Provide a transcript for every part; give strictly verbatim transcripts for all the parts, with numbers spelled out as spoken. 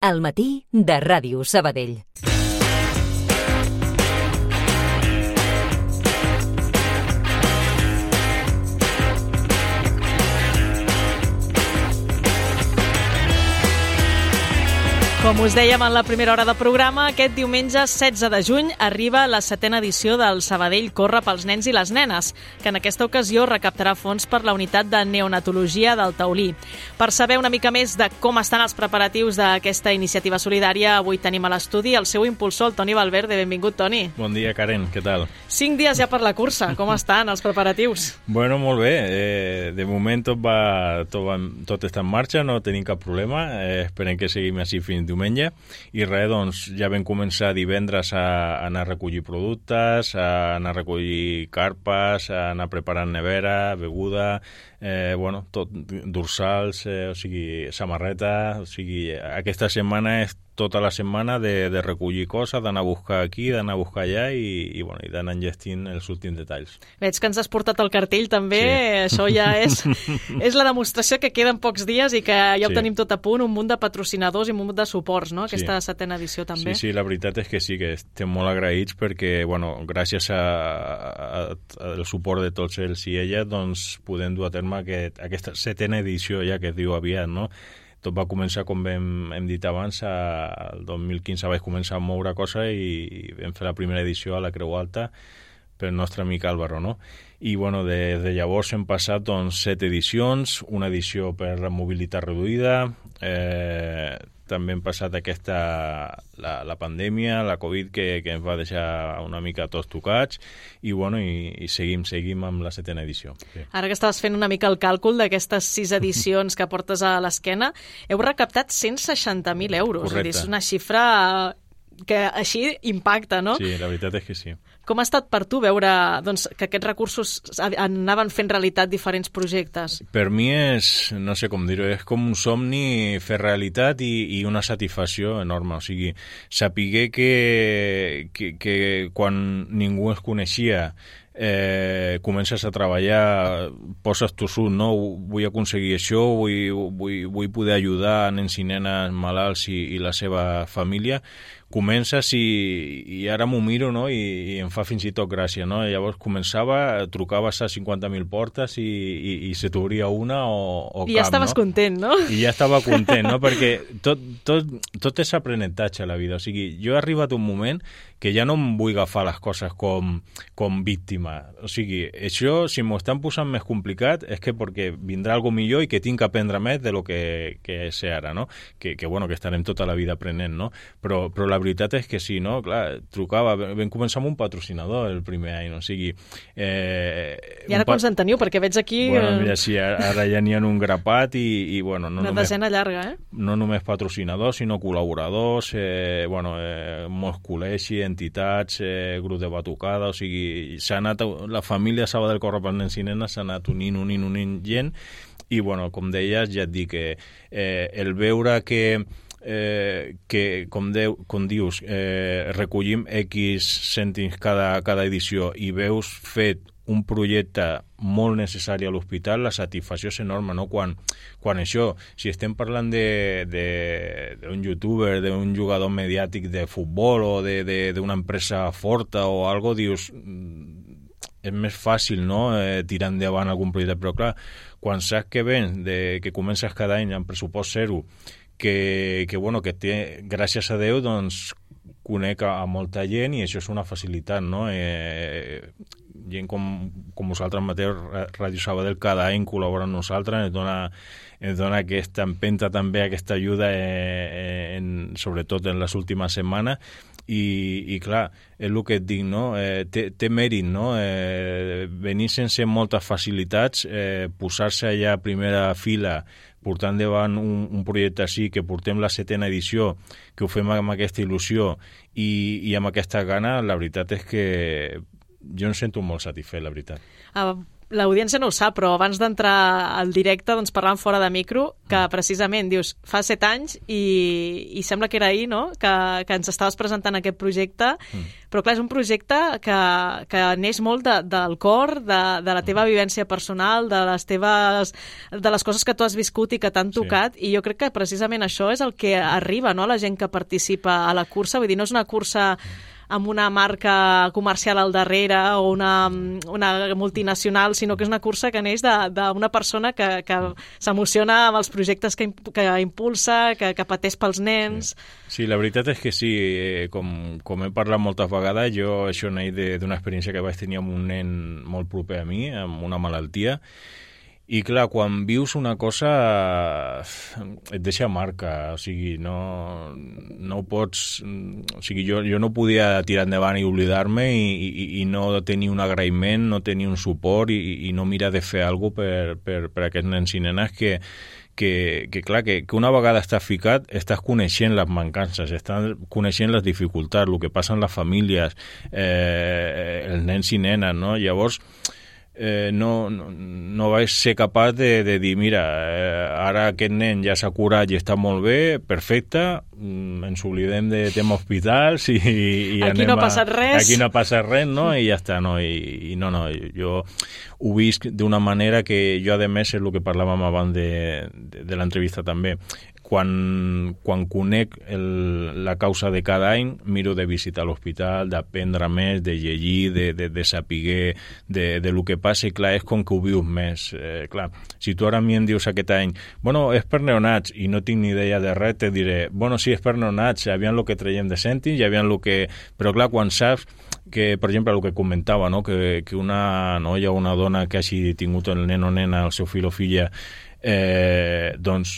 Al matí de Ràdio Sabadell. Com us dèiem en la primera hora de programa, aquest diumenge setze de juny arriba la setena edició del Sabadell Corre pels nens i les nenes, que en aquesta ocasió recaptarà fons per la unitat de neonatologia del Taulí. Per saber una mica més de com estan els preparatius d'aquesta iniciativa solidària, avui tenim a l'estudi el seu impulsor, el Toni Valverde. Benvingut, Toni. Bon dia, Karen, què tal? Cinc dies ja per la cursa, com estan els preparatius? Bueno, molt bé, eh, de moment tot, va, tot, va, tot està en marxa, no tenim cap problema, eh, esperem que seguim així fins diumenge, i res, doncs ja vam començar divendres a, a anar a recollir productes, a anar a recollir carpes, a anar preparant nevera, beguda, eh, bueno, tot, dorsals, eh, o sigui, samarreta, o sigui, aquesta setmana és tota la setmana de, de recollir coses, d'anar a buscar aquí, d'anar a buscar allà i, i, bueno, i d'anar enllestint els últims detalls. Veig que ens has portat el cartell també, sí. Això ja és, és la demostració que queden pocs dies i que ja ho sí. tenim tot a punt, un munt de patrocinadors i un munt de suports, no? Aquesta sí. setena edició també. Sí, sí, la veritat és que sí, que estem molt agraïts perquè, bueno, gràcies a, a, a, al suport de tots ells i elles, doncs podem dur a terme aquest, aquesta setena edició ja que es diu aviat, no? Tot va començar, com hem, hem dit abans, el dos mil quinze vaig començar a moure coses i, i vam fer la primera edició a la Creu Alta pel nostre amic Álvaro, no? I, bueno, des de llavors hem passat, doncs, set edicions, una edició per la mobilitat reduïda, eh, també hem passat aquesta, la, la pandèmia, la Covid, que, que ens va deixar una mica tots tocats, i, bueno, i, i seguim, seguim amb la setena edició. Sí. Ara que estaves fent una mica el càlcul d'aquestes sis edicions que portes a l'esquena, heu recaptat cent seixanta mil euros. Correcte. És una xifra que així impacta, no? Sí, la veritat és que sí. Com ha estat per tu veure, doncs, que aquests recursos anaven fent realitat diferents projectes? Per mi és, no sé com dir-ho, és com un somni fer realitat i, i una satisfacció enorme. O sigui, sapiguer que, que, que quan ningú es coneixia eh, comences a treballar, poses tu sud, no? Vull aconseguir això, vull, vull, vull poder ajudar nens i nenes malalts i, i la seva família. Comences i, i ara m'ho miro, no? I, i em fa fins i tot gràcia, no? Llavors començava, trucaves a cinquanta mil portes i, i, i se t'obria una o, o I cap, ja estaves no? content, no? I ja estava content, no? Perquè tot, tot, tot és aprenentatge a la vida. O sigui, jo he arribat un moment que ja no em vull agafar les coses com, com víctima. O sigui, això, si m'ho estan posant més complicat, és que perquè vindrà algo millor i que tinc que aprendre més de lo que, que sé ara, no? Que, que, bueno, que estarem tota la vida aprenent, no? Però, però la veritat és que sí, no? Clar, trucava, vam començar amb un patrocinador el primer any, no? O sigui... Eh, I ara quants en teniu? Perquè veig aquí... Bueno, mira, sí, ara ja n'hi ha un grapat i, i bueno... No Una només, desena llarga, eh? No només patrocinadors, sinó col·laboradors, eh, bueno, eh, molts col·legis, entitats, eh, grup de batucada, o sigui, s'ha anat, la família Sabadell Corre pels nens i nenes s'ha anat unint, unint, unint gent, i, bueno, com deies, ja et dic que eh, el veure que Eh, que, com, deu, com dius, eh, recollim X cèntims cada, cada edició i veus fet un projecte molt necessari a l'hospital, la satisfacció és enorme, no? Quan, quan això, si estem parlant d'un youtuber, d'un jugador mediàtic de futbol o d'una empresa forta o algo, dius, és més fàcil, no?, eh, tirar endavant algun projecte, però clar, quan saps que vens, de, que comences cada any amb pressupost zero, que, que, bueno, que té, gràcies a Déu, doncs, conec a, a molta gent i això és una facilitat, no? Eh, gent com, com vosaltres mateix, Ràdio Sabadell, cada any col·labora amb nosaltres, ens dona, ens dona aquesta empenta també, aquesta ajuda, eh, en, sobretot en les últimes setmanes, i, i clar, és el que et dic, no? Eh, té, té mèrit, no? Eh, venir sense moltes facilitats, eh, posar-se allà a primera fila, portant davant un, un projecte així, que portem la setena edició, que ho fem amb aquesta il·lusió i, i amb aquesta gana, la veritat és que jo em sento molt satisfet, la veritat. Ah, l'audiència no ho sap, però abans d'entrar al directe doncs parlàvem fora de micro que precisament, dius, fa set anys i, i sembla que era ahir, no?, que, que ens estaves presentant aquest projecte, mm. però clar, és un projecte que, que neix molt de, del cor, de, de la teva vivència personal, de les teves, de les coses que tu has viscut i que t'han tocat, sí. I jo crec que precisament això és el que arriba, no?, a la gent que participa a la cursa, vull dir, no és una cursa amb una marca comercial al darrere o una, una multinacional, sinó que és una cursa que neix d'una persona que, que s'emociona amb els projectes que, que impulsa, que, que pateix pels nens. Sí. sí, la veritat és que sí, eh, com, com he parlat moltes vegades, jo això neix d'una experiència que vaig tenir amb un nen molt proper a mi, amb una malaltia. I clar, quan vius una cosa et deixa marca, o sigui, no, no ho pots... O sigui, jo, jo no podia tirar endavant i oblidar-me i, i, i no tenir un agraïment, no tenir un suport i, i no mirar de fer alguna cosa per, per, per aquests nens i nenes que, que, que clar, que, que una vegada estàs ficat estàs coneixent les mancances, estàs coneixent les dificultats, el que passa en les famílies, eh, els nens i nenes, no? Llavors... Eh, no, no, no vaig ser capaç de, de dir, mira, eh, ara aquest nen ja s'ha curat i està molt bé, perfecte, mm, ens oblidem de tema hospitals i, i aquí anem no ha passat res. Aquí no ha passat res, no? I ja està, no? I, i no, no, jo ho visc d'una manera que jo, a més, és el que parlàvem abans de, de, de l'entrevista també. Quan, quan conec el, la causa de cada any, miro de visitar l'hospital, d'aprendre més, de llegir, de, de, de saber de, de lo que passa, i clar, és com que ho vius més. Eh, clar, si tu ara a mi em dius aquest any, bueno, és per neonats, i no tinc ni idea de res, te diré, bueno, sí, és per neonats, aviam el que traiem de cèntims, i aviam el que... Però clar, quan saps que, per exemple, el que comentava, no? que, que una noia o una dona que hagi tingut el nen o nena, el seu fill o filla, eh, doncs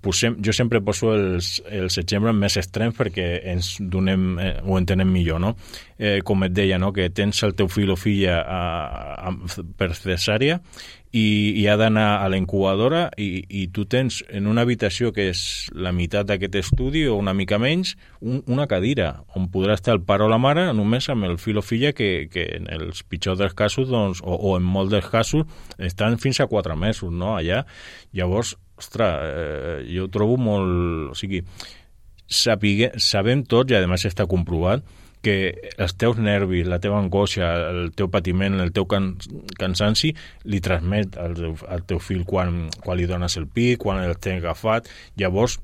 posem, jo sempre poso els, els exemples més extrems perquè ens donem, eh, ho entenem millor, no? Eh, com et deia, no? Que tens el teu fill o filla a, a, per cesària i, i ha d'anar a la incubadora i, i tu tens en una habitació que és la meitat d'aquest estudi o una mica menys, un, una cadira on podrà estar el pare o la mare només amb el fill o filla que, que en els pitjors dels casos, doncs, o, o en molts dels casos, estan fins a quatre mesos, no? Allà. Llavors, ostres, eh, jo ho trobo molt... O sigui, sapigue, sabem tots, i a més està comprovat, que els teus nervis, la teva angoixa, el teu patiment, el teu can, cansanci, li transmet al, al teu fill quan, quan li dones el pit, quan el tens agafat. Llavors,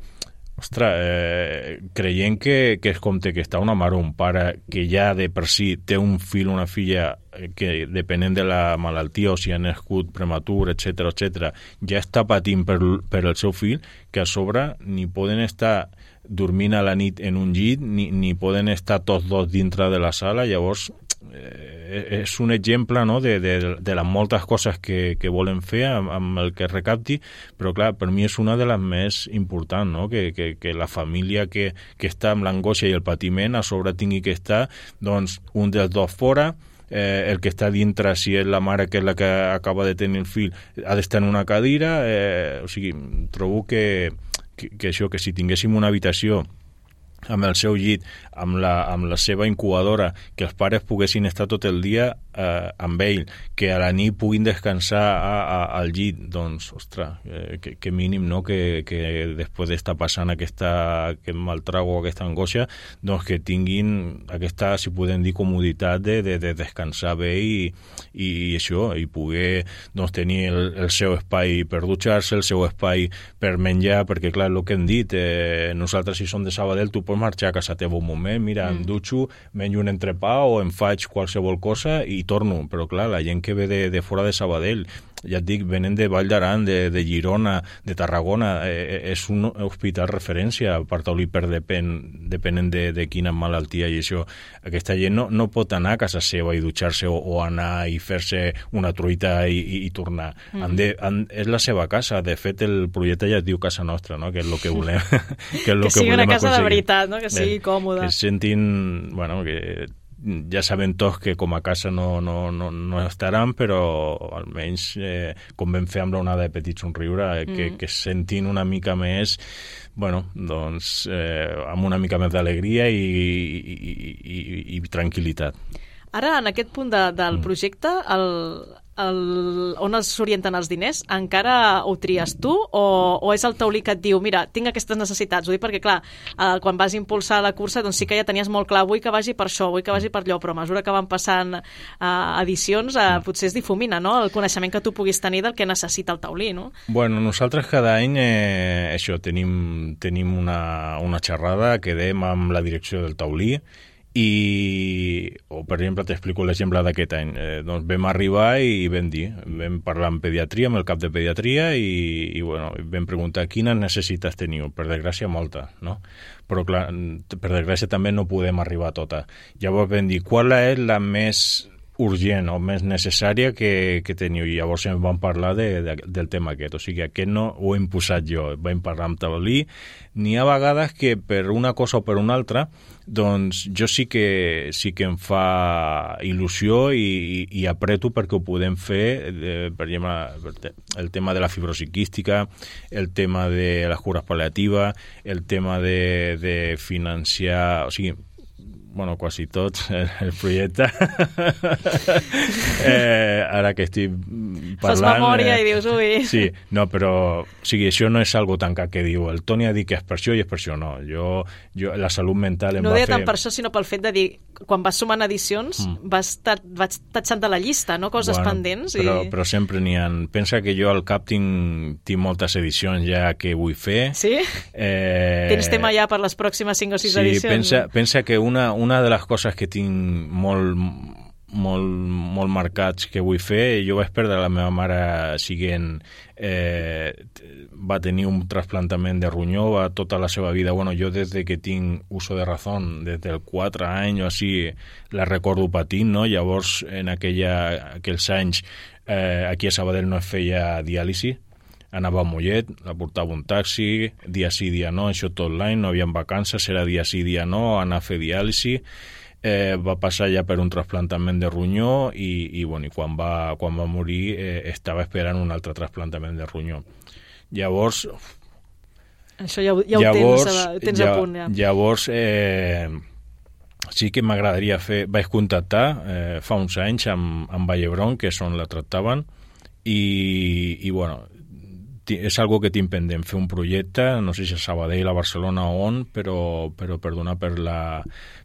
ostres, eh, creient que, que és com té que està una mare o un pare que ja de per si té un fill o una filla que depenent de la malaltia o si ha nascut prematur, etcètera, etcètera, ja està patint per, per el seu fill, que a sobre ni poden estar dormint a la nit en un llit ni, ni poden estar tots dos dintre de la sala. Llavors eh, és un exemple, no?, de, de, de les moltes coses que, que volen fer amb, amb el que recapti, però clar, per mi és una de les més importants, no?, que, que, que la família que, que està amb l'angoixa i el patiment a sobre tingui que estar, doncs, un dels dos fora, Eh, el que està dintre, si és la mare que és la que acaba de tenir el fill, ha d'estar en una cadira, eh, o sigui, trobo que, que, que això, que si tinguéssim una habitació amb el seu llit, amb la, amb la seva incubadora, que els pares poguessin estar tot el dia eh, amb ell, que a la nit puguin descansar a, a, al llit, doncs, ostres, eh, que, que mínim, no?, que, que després d'estar passant aquesta, aquest mal trago, aquesta angoixa, doncs que tinguin aquesta, si podem dir, comoditat de, de, de descansar bé i, i, i això, i poder, doncs, tenir el, el seu espai per dutxar-se, el seu espai per menjar, perquè, clar, el que hem dit, eh, nosaltres, si som de Sabadell, tu pots marxar a casa teva un moment, mira, mm. em dutxo, menjo un entrepà o em faig qualsevol cosa i torno, però clar, la gent que ve de, de fora de Sabadell, ja et dic, venen de Vall d'Aran, de, de Girona, de Tarragona, eh, és un hospital referència per taulí per depèn, depenent de, de quina malaltia i això. Aquesta gent no, no pot anar a casa seva i dutxar-se o, o anar i fer-se una truita i, i, i tornar. Mm. Han de, han, és la seva casa. De fet, el projecte ja es diu Casa Nostra, no?, que és el que volem que, és lo que sigui que una casa aconseguir. De veritat, no?, que sigui eh, còmoda. Que sentin, bueno, que ja sabem tots que com a casa no, no, no, no estaran, però almenys, eh, com vam fer amb l'onada de Petit Somriure, eh, que, mm. que sentin una mica més, bueno, doncs, eh, amb una mica més d'alegria i, i, i, i, i tranquil·litat. Ara, en aquest punt de, del projecte, el, el, on s'orienten els diners, encara ho tries tu o, o és el taulí que et diu mira, tinc aquestes necessitats? Ho dic perquè, clar, eh, quan vas impulsar la cursa doncs sí que ja tenies molt clar, vull que vagi per això, vull que vagi per allò, però a mesura que van passant eh, edicions, eh, potser es difumina, no?, el coneixement que tu puguis tenir del que necessita el taulí, no? Bueno, nosaltres cada any eh, això, tenim, tenim una, una xerrada, quedem amb la direcció del taulí i, o per exemple, t'explico l'exemple d'aquest any. Eh, doncs vam arribar i vam dir, vam parlar amb pediatria, amb el cap de pediatria i, i bueno, vam preguntar quines necessitats teniu. Per desgràcia, molta, no? Però clar, per desgràcia també no podem arribar a tota. Llavors vam dir, qual és la més urgent o més necessària que, que teniu? I llavors em van parlar de, de, del tema aquest. O sigui, aquest no ho he imposat jo. Vam parlar amb taulí. N'hi ha vegades que per una cosa o per una altra doncs jo sí que sí que em fa il·lusió i, i, i apreto perquè ho podem fer, eh, per exemple, el tema de la fibrosi quística, el tema de les cures pal·liatives, el tema de, de financiar, o sigui, bueno, quasi tots, el, el projecte. eh, ara que estic parlant... Fas memòria eh, i dius, ui... Sí, no, però o sigui, això no és algo tancat que diu el Toni ha dit que és per això i és per això, no. Jo, jo la salut mental em no va fer... No deia tant per això, sinó pel fet de dir, quan vas sumant edicions, mm. vas, vas tatxant de la llista, no?, coses bueno, pendents. Però, i... però sempre n'hi ha... Pensa que jo al cap tinc, tinc moltes edicions ja que vull fer. Sí? Eh... Tens tema ja per les pròximes cinc o sis sí, edicions? Sí, pensa, no? pensa que una, una de les coses que tinc molt, molt, molt marcats que vull fer, jo vaig perdre la meva mare siguent, eh, va tenir un trasplantament de ronyó, va tota la seva vida, bueno, jo des de que tinc uso de razón, des dels quatre anys o així, la recordo patint, no? Llavors, en aquella, aquells anys, eh, aquí a Sabadell no es feia diàlisi, anava a Mollet, la portava un taxi, dia sí, dia no, això tot l'any, no havia vacances, era dia sí, dia no, anar a fer diàlisi, eh, va passar ja per un trasplantament de ronyó i, i, bueno, i quan, va, quan va morir eh, estava esperant un altre trasplantament de ronyó. Llavors... Això ja, ja llavors, ho tens, a, tens ja, a punt, ja. Llavors, eh, sí que m'agradaria fer... Vaig contactar eh, fa uns anys amb, amb Vallebron, que és on la tractaven, i, i bueno... és algo que tinc pendent, fer un projecte, no sé si a Sabadell, a Barcelona o on, però, però per donar per la,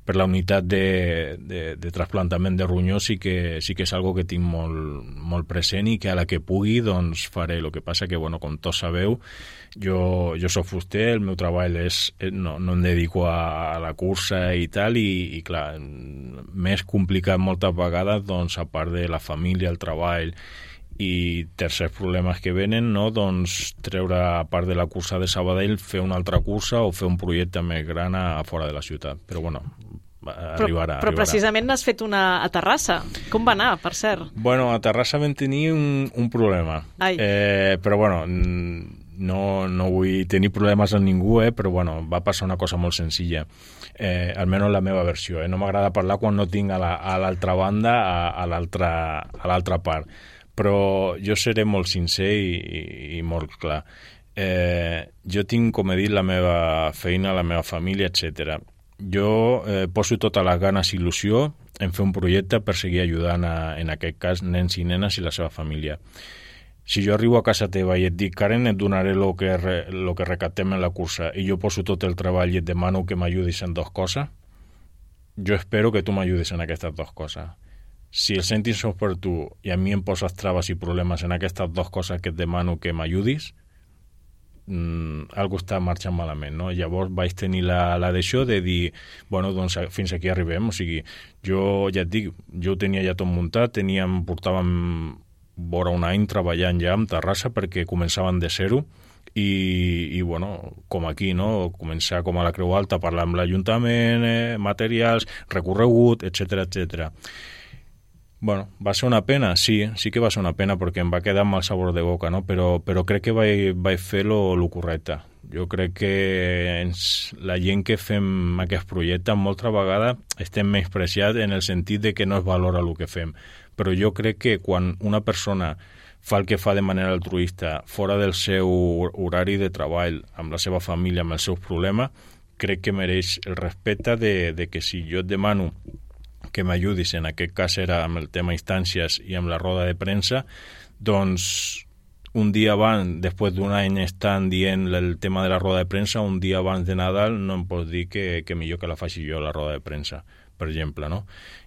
per la unitat de, de, de trasplantament de ronyó sí que, sí que és algo que tinc molt, molt present i que a la que pugui doncs faré. El que passa que, bueno, com tots sabeu, jo, jo soc fuster, el meu treball és, no, no em dedico a, a la cursa i tal, i, i clar, m'és complicat moltes vegades, doncs, a part de la família, el treball i tercers problemes que venen, no? Doncs treure, a part de la cursa de Sabadell, fer una altra cursa o fer un projecte més gran a, a fora de la ciutat. Però bueno, arribarà. Però, però arribarà. precisament n'has fet una a Terrassa. Com va anar, per cert? Bueno, a Terrassa vam tenir un, un problema. Ai. Eh, però bueno, no, no vull tenir problemes amb ningú, eh, però bueno, va passar una cosa molt senzilla. Eh, almenys la meva versió. Eh? No m'agrada parlar quan no tinc a l'altra la, banda, a, a l'altra part. Però jo seré molt sincer i, i, i molt clar. Eh, jo tinc, com he dit, la meva feina, la meva família, etcètera. Jo eh, poso totes les ganes i il·lusió en fer un projecte per seguir ajudant, a, en aquest cas, nens i nenes i la seva família. Si jo arribo a casa teva i et dic, Karen, et donaré el que, lo que recaptem en la cursa i jo poso tot el treball i et demano que m'ajudis en dues coses, jo espero que tu m'ajudis en aquestes dues coses. Si el sentis són per tu i a mi em poses traves i problemes en aquestes dues coses que et demano que m'ajudis, mmm, algo està marxant malament, no? Llavors vaig tenir la, la d'això de dir, bueno, doncs fins aquí arribem, o sigui, jo ja et dic, jo ho tenia ja tot muntat, teníem, portàvem vora un any treballant ja amb Terrassa perquè començaven de zero i, i bueno, com aquí, no? Començar com a la Creu Alta, parlar amb l'Ajuntament, eh, materials, recorregut, etcètera, etcètera. Bueno, va ser una pena, sí, sí que va ser una pena perquè em va quedar mal sabor de boca, no? Però, però crec que vaig, vaig fer lo, lo correcte. Jo crec que ens, la gent que fem aquest projecte moltes vegades estem menyspreats en el sentit de que no es valora el que fem. Però jo crec que quan una persona fa el que fa de manera altruista, fora del seu horari de treball, amb la seva família, amb els seus problemes, crec que mereix el respecte de, de que si jo et demano que m'ajudis, en aquest cas era amb el tema instàncies i amb la roda de premsa, doncs un dia abans, després d'un any estan dient el tema de la roda de premsa, un dia abans de Nadal no em pots dir que, que millor que la faci jo la roda de premsa, per exemple, no?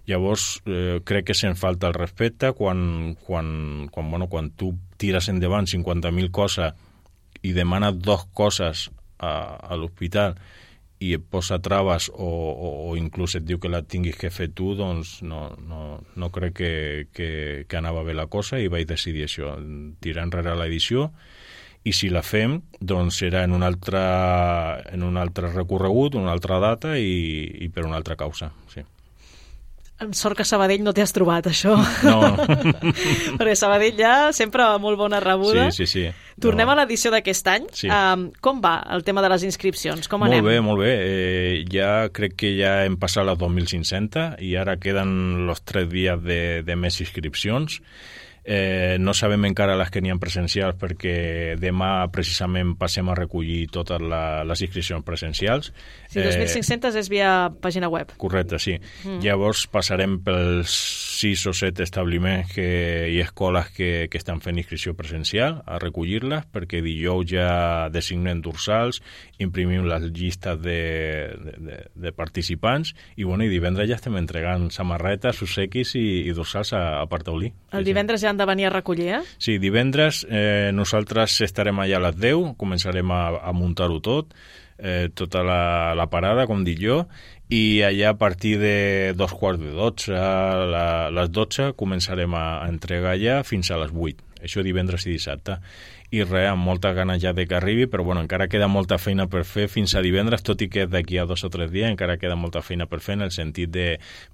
Llavors, eh, crec que se'n falta el respecte quan, quan, quan, bueno, quan tu tires endavant cinquanta mil coses i demanes dos coses a, a l'hospital i et posa traves o, o, o inclús et diu que la tinguis que fer tu, doncs no, no, no crec que, que, que anava bé la cosa i vaig decidir això, tirar enrere l'edició, i si la fem, doncs serà en un altre, en un altre recorregut, una altra data i, i per una altra causa, sí. Amb sort que a Sabadell no t'hi has trobat, això. No. Perquè Sabadell ja sempre molt bona rebuda. Sí, sí, sí. Tornem no. a l'edició d'aquest any. Sí. Um, com va el tema de les inscripcions? Com molt anem? Molt bé, molt bé. Eh, ja crec que ja hem passat les dos mil cinc-cents i ara queden els tres dies de, de més inscripcions. Eh, no sabem encara les que n'hi ha presencials perquè demà precisament passem a recollir totes la, les inscripcions presencials. Sí, dos mil cinc-cents és via pàgina web. Correcte, sí. Mm. Llavors passarem pels sis o set establiments que, i escoles que, que estan fent inscripció presencial a recollir-les, perquè dijous ja designem dorsals, imprimim les llistes de, de, de, de participants i, bueno, i divendres ja estem entregant samarretes, susequis i, i dorsals a, a Partaulí. El divendres ja han de venir a recollir, eh? Sí, divendres eh, nosaltres estarem allà a les deu, començarem a, a muntar-ho tot, eh, tota la, la parada, com dic jo, i allà a partir de dos quarts de dotze, a la, les dotze, començarem a, a entregar allà fins a les vuit. Això divendres i dissabte. I res, amb molta gana ja de que arribi, però bueno, encara queda molta feina per fer fins a divendres, tot i que d'aquí a dos o tres dies encara queda molta feina per fer, en el sentit de,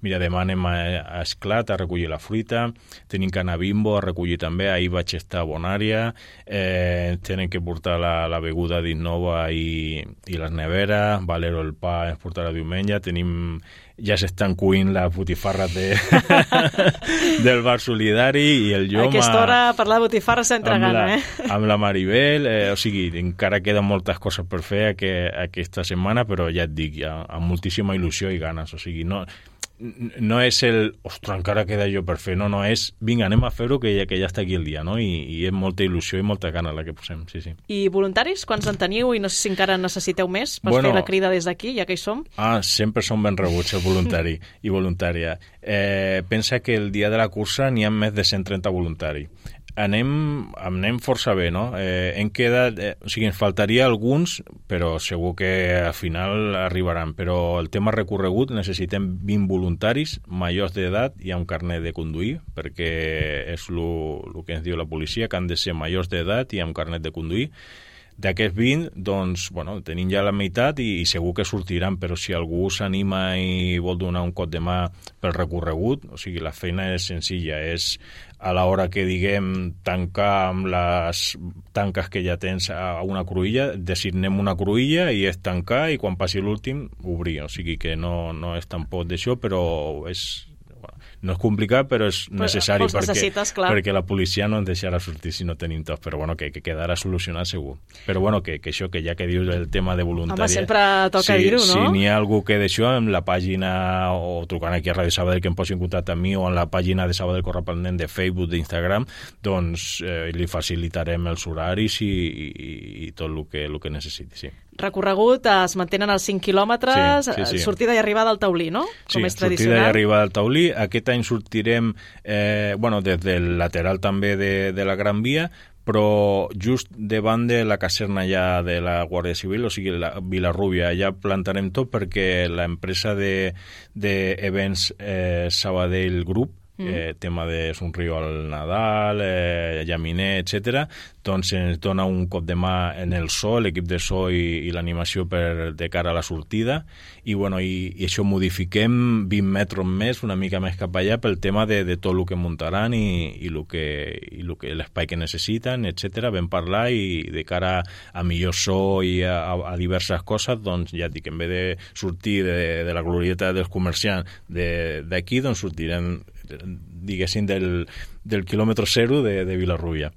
mira, demà anem a, a Esclat a recollir la fruita, tenim que anar a Bimbo a recollir també, ahir vaig estar a Bonària, eh, tenen que portar la, la beguda d'Innova i, i les neveres, Valero el pa ens portarà diumenge, tenim... ja s'estan cuint les botifarres de... del bar solidari i el Joma... A aquesta hora parlar de botifarres s'entra gana, eh? Amb la Maribel, eh, o sigui, encara queden moltes coses per fer aqu aquesta setmana, però ja et dic, ja, amb moltíssima il·lusió i ganes, o sigui, no... no és el, ostres, encara queda jo per fer, no, no, és, vinga, anem a fer-ho que ja, que ja està aquí el dia, no? I, i és molta il·lusió i molta gana la que posem, sí, sí. I voluntaris, quants en teniu? I no sé si encara necessiteu més per bueno, fer la crida des d'aquí, ja que hi som? Ah, sempre som ben rebuts, el voluntari i voluntària. Eh, pensa que el dia de la cursa n'hi ha més de cent trenta voluntaris. Anem, anem força bé, no? Eh, hem quedat, eh, o sigui, ens faltaria alguns, però segur que al final arribaran. Però el tema recorregut, necessitem vint voluntaris majors d'edat i amb carnet de conduir, perquè és el que ens diu la policia, que han de ser majors d'edat i amb carnet de conduir. D'aquests vint, doncs, bueno, tenim ja la meitat i, i segur que sortiran, però si algú s'anima i vol donar un cop de mà pel recorregut, o sigui, la feina és senzilla, és a l'hora que, diguem, tancar amb les tanques que ja tens a una cruïlla, designem una cruïlla i és tancar i quan passi l'últim, obrir. O sigui que no, no és tampoc d'això, però és... no és complicat, però és necessari però perquè, clar. perquè la policia no ens deixarà sortir si no tenim tots, però bueno, que, que quedarà solucionat segur. Però bueno, que, que això, que ja que dius el tema de voluntària... Home, sempre toca si, dir-ho, no? Si n'hi ha algú que d'això, en la pàgina, o trucant aquí a Ràdio Sabadell que em posi en contacte amb mi, o en la pàgina de Sabadell Corre pel Nen de Facebook, d'Instagram, doncs eh, li facilitarem els horaris i, i, i tot el que, el que necessiti, sí. Recorregut, es mantenen els cinc quilòmetres, sí, sí, sí. sortida i arribada al taulí, no? Com sí, és tradicional. Sortida i arribada al taulí. Aquest any sortirem eh, bueno, des del lateral també de, de la Gran Via, però just davant de la caserna ja de la Guàrdia Civil, o sigui, la Vilarrúbia, ja plantarem tot perquè l'empresa d'events de, de eh, Sabadell Group, eh, tema de Somriu al Nadal, eh, Llaminer, etcètera, doncs ens dona un cop de mà en el so, l'equip de so i, i l'animació per de cara a la sortida, i, bueno, i, i això modifiquem vint metres més, una mica més cap allà, pel tema de, de tot el que muntaran i, i, el que, i el que, l'espai que necessiten, etcètera. Vam parlar i de cara a millor so i a, a, a diverses coses, doncs ja dic, en vez de sortir de, de la glorieta dels comerciants d'aquí, doncs sortirem, diguéssim, del, del quilòmetre zero de, de Vilarrúbia.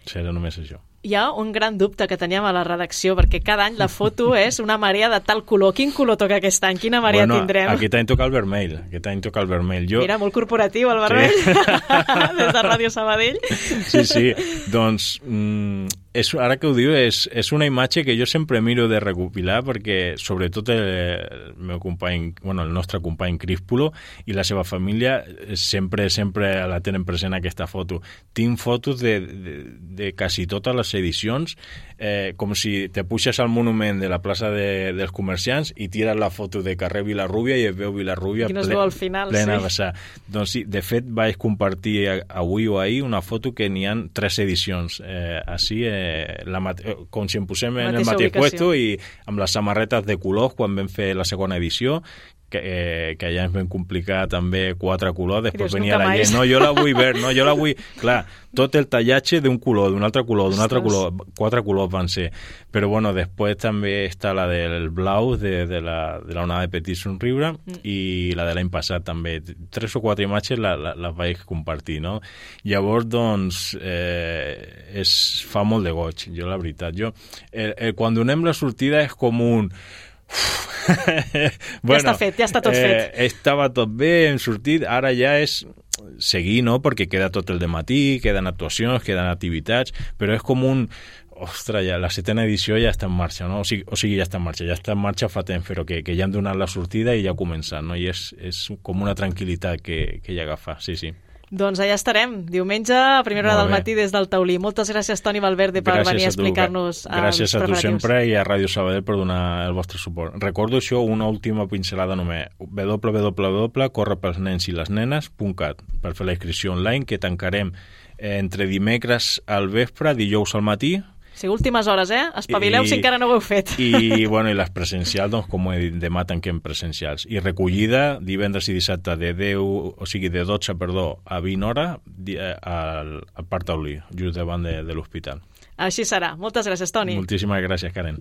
Serà només això. hi ha un gran dubte que teníem a la redacció, perquè cada any la foto és una marea de tal color. Quin color toca aquest any? Quina marea bueno, tindrem? Aquest any toca el vermell. Aquest any toca el vermell. Jo... Mira, molt corporatiu el vermell. Sí. Des de Ràdio Sabadell. Sí, sí. Doncs, mm, és, ara que ho diu, és, és una imatge que jo sempre miro de recopilar perquè, sobretot, el, el meu company, bueno, el nostre company Críspulo i la seva família sempre, sempre la tenen present aquesta foto. Tinc fotos de, de, de quasi totes les edicions, eh, com si te puixes al monument de la plaça de, dels comerciants i tires la foto de carrer Vilarrúbia i es veu Vilarrúbia no ple, al final, plena sí. a vessar. Doncs sí, de fet vaig compartir avui o ahir una foto que n'hi ha tres edicions. Eh, així, eh, la mate... com si em posem en el mateix puesto i amb les samarretes de colors quan vam fer la segona edició, que, eh, que ja ens vam complicar també quatre colors, després venia la gent, no, jo la vull ver, no, jo la vull... Clar, tot el tallatge d'un color, d'un altre color, d'un altre color, quatre colors van ser. Però bueno, després també està la del blau de, de, la, de la onada de Petit Somriure mm. i la de l'any passat també. Tres o quatre imatges la, la, les vaig compartir, no? Llavors, doncs, eh, es fa molt de goig, jo la veritat. Jo, eh, eh, quan donem la sortida és com un... bueno, ja està fet, ja està tot eh, fet. Estava tot bé, hem sortit, ara ja és seguir, no? Perquè queda tot el dematí, queden actuacions, queden activitats, però és com un... Ostres, ja, la setena edició ja està en marxa, no? O sigui, o sigui, ja està en marxa, ja està en marxa fa temps, però que, que ja han donat la sortida i ja ha començat, no? I és, és com una tranquil·litat que, que ja agafa, sí, sí. Doncs allà estarem, diumenge a primera hora del matí des del Taulí. Moltes gràcies, Toni Valverde, per gràcies venir a explicar-nos els Gràcies a tu sempre i a Ràdio Sabadell per donar el vostre suport. Recordo això, una última pincelada només, w w w punt corre pels nens i les nenes punt cat per fer la inscripció online, que tancarem entre dimecres al vespre, dijous al matí. Sí, últimes hores, eh? Espavileu I, si encara no ho heu fet. I, bueno, i les presencials, doncs, com he dit, demà tanquem presencials. I recollida divendres i dissabte de deu, o sigui, de dotze, perdó, a vint hores al, al Parc Taulí, just davant de, de l'hospital. Així serà. Moltes gràcies, Toni. Moltíssimes gràcies, Karen.